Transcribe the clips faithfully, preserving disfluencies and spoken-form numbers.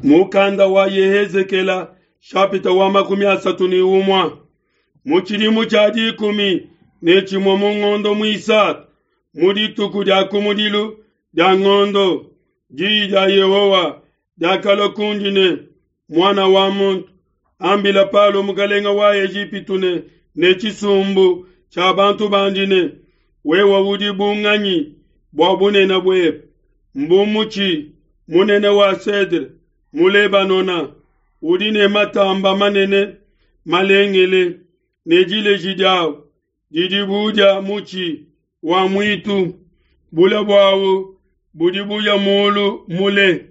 Mukanda wa Yehezekela shapita wa makumi asatu ni umwe mu tshidimu tshia dikumi ne tshimue mu ngondo muisatu mu dituku dia kumudilu dia ngondo diyi dia Yehowa diakalua kundi ne muana wa muntu ambila Palo mukalenga wa Ejipitu ne ne tshisumbu tshia bantu bandi ne wewe udi bunganyi bua bunene buebe mbu mutshi munene wa cedre mu Lebanona udi ne matamba manene malengele ne dileji diawu didi bu dia mutshi wa muitu bule buawu budi buya mulu mule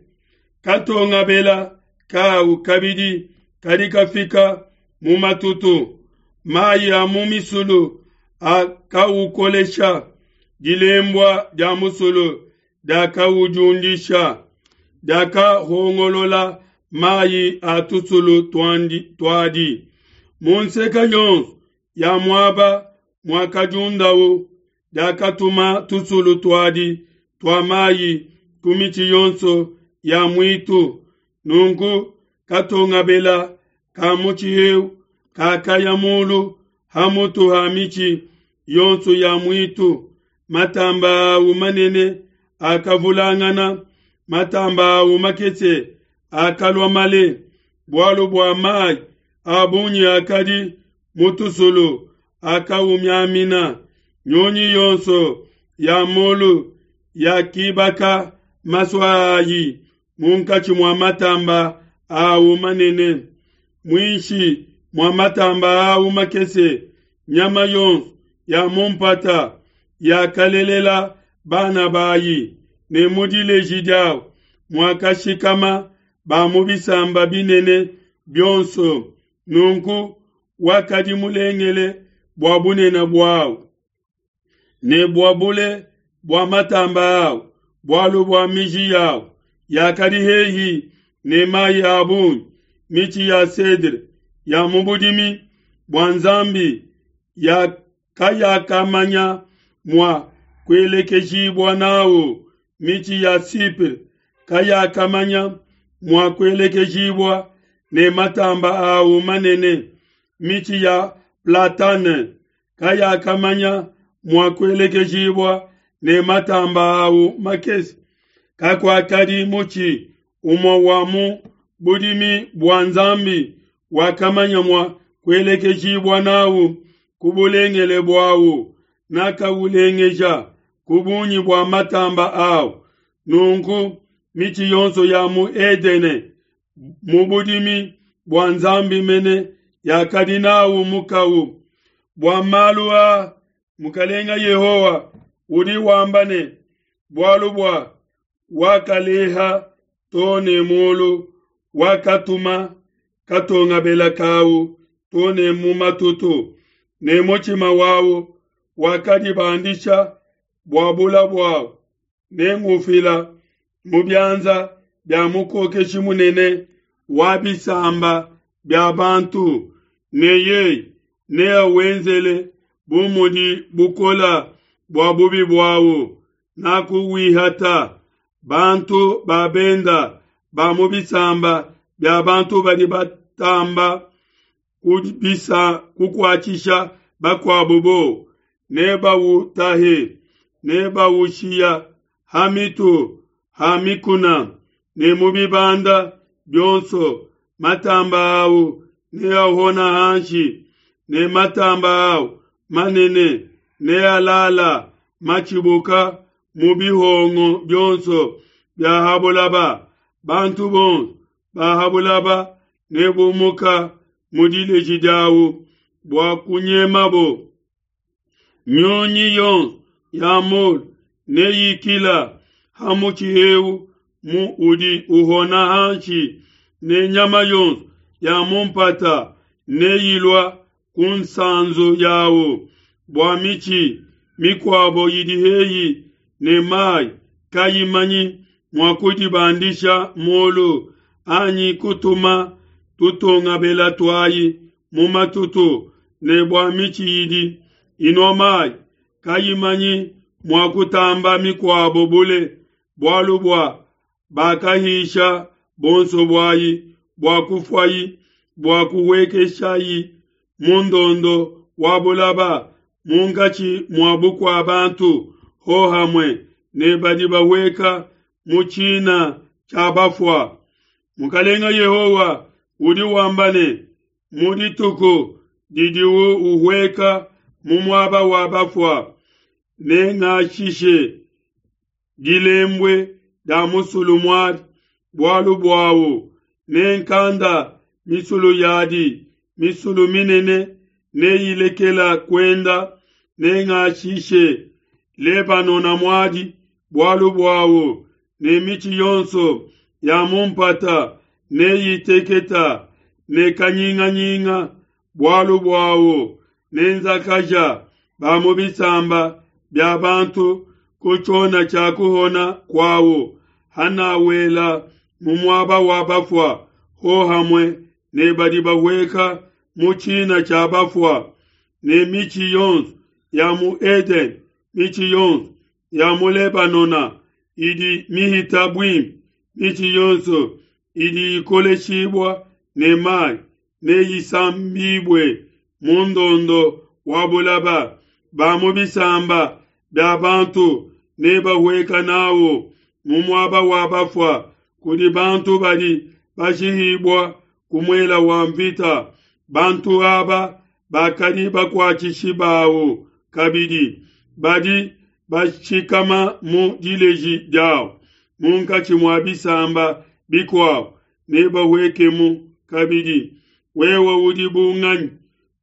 katongabela kawu kabidi kadi kafika mu matutu mayi a mu misulu akawukolesha dilembua dia musulu diakawudiundisha diakahongolola mayi a tusulu tuandi tuadi mu nseka yonso ya muaba muakadiundawu diakatuma tusulu tuadi tua mayi ku mitshi yonso ya muitu nunku katongabela ka mutshi eu kakaya mulu ha mutu ha mitshi yonso ya muitu matamba awu manene akavulangana matamba awu makese akalua male bualu bua mayi a bungi akadi mu tusulu akaumiamina nyunyi yonso ya mulu yakibaka masua ayi munkatshi mua matamba awu manene muinshi mua matamba awu makese nyama yonso ya mu mpata yakalelela bana bayi ne mu dileji diawu muakashikama ba mu bisamba binene bionso nunku wakadi mulengele bua bunene buawu ne bua bule bua matamba awu bualu bua miji yawu yakadi hehi ne mayi a bungi mitshi ya cedre ya mu budimi bua Nzambi ya kayakamanya mua kuelekejibua nawu mitshi ya Sipre kayakamanya mua kuelekejibua ne matamba awu manene mitshi ya platane kayakamanya mua kuelekejibua ne matamba awu makese kakuakadi mutshi umue wa mu budimi bua Nzambi wakamanya mua kuelekejibua nawu ku bulengele buawu nakawulengeja ku bungi bua matamba awu nunku mitshi yonso ya mu Edene mu budimi bua Nzambi mene yakadi nawu mukawu bua malu a mukalenga Yehowa udi wamba ne bualu bua wakaleha to ne mulu wakatuma katongabela kawu to ne mu matutu ne mutshima wawu wakadibandisha bua bula buawu nengufila mu bianza bia mukokeshi munene wa bisamba bia bantu ne yeye neawenzele bu mudi bukola bua bubi buawu nakuwihata bantu ba benda ba mu bisamba bia bantu badi batamba kubisa kukuatshisha bakuabu bo nebawutahe nebawushiya ha mitu ha mikuna ne mu bibanda bionso matamba awu neahona hanshi ne matamba awu manene nealala matshibuka mu bihongo bionso bia habulaba bantu bonso ba habulaba nebumuka mu dileji diawu bua kunyemabo nyunyi yonso ya mulu neyikila ha mutshi eu mu udi uhona hanshi ne nyama yonso ya mu mpata neyilua ku nsanzu yawu bua mitshi mikuabo idi hehi ne mayi kayimanyi mua kudibandisha mulu anyi kutuma tutongabela tuayi mu matutu ne bua mitshi idi inua mayi kayimanyi mua kutamba mikuabo bule bualu bua bakahisha Buonso buayi bua kufuayi, bua kuhuekeshayi mu ndondo wa bulaba munkatshi mua bukua bantu, hohamue ne badi bahueka mu tshina tshia bafua. Mukalenga Yehowa udi wamba ne, mu dituku didiwu uhueka mu muaba wa bafua, nengashishe dilembue dia musulu muadi bualu buawu, nenkanda misulu yadi, misulu minene neyilekela kuenda, nengashishe Lebanona muadi bualu buawu, ne mitshi yonso ya mu mpata neyiteketa ne kanyinganyinga bualu buawu, nenzakaja ba mu bisamba bia bantu ku tshiona tshia kuhona kuawu, hanawela mu muaba wa bafua hohamue ne badi bahueka mu tshina tshia bafua, ne mitshi yonso ya mu Edene, mitshi yonso ya mu Lebanona idi mihita buimpe, mitshi yonso idi ikoleshibua ne mai neyisambibue mu ndondo wa bulaba. Ba mu bisamba bia bantu nebahueka n'au mu muaba wa bafua kudi bantu badi bashihibua ku muele wa nvita. Bantu aba bakadi bakuatshishi bawu kabidi, badi bashikama mu dileji diau munkatshi mua bisamba bikuabo, nebahuekemu kabidi. Wewe udi bu nganyi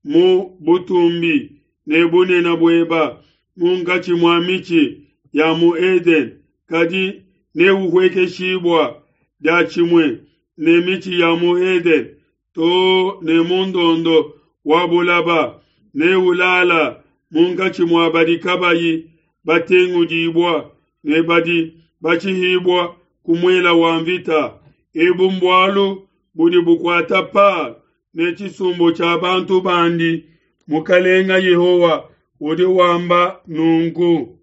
mu butumbi ne bunene bueba munkatshi mua mitshi ya mu Edene? Kadi neuhuekeshibua diatshimue ne mitshi ya mu Edene to ne mu ndondo wa bulaba, neulala munkatshi mua badi kabayi batengudibua ne badi bashihibua ku muele wa nvita. Ebu mbualu budi bukuata Palo ne tshisumbu tshia bantu bandi. Mukalenga Yehowa udi wamba nunku.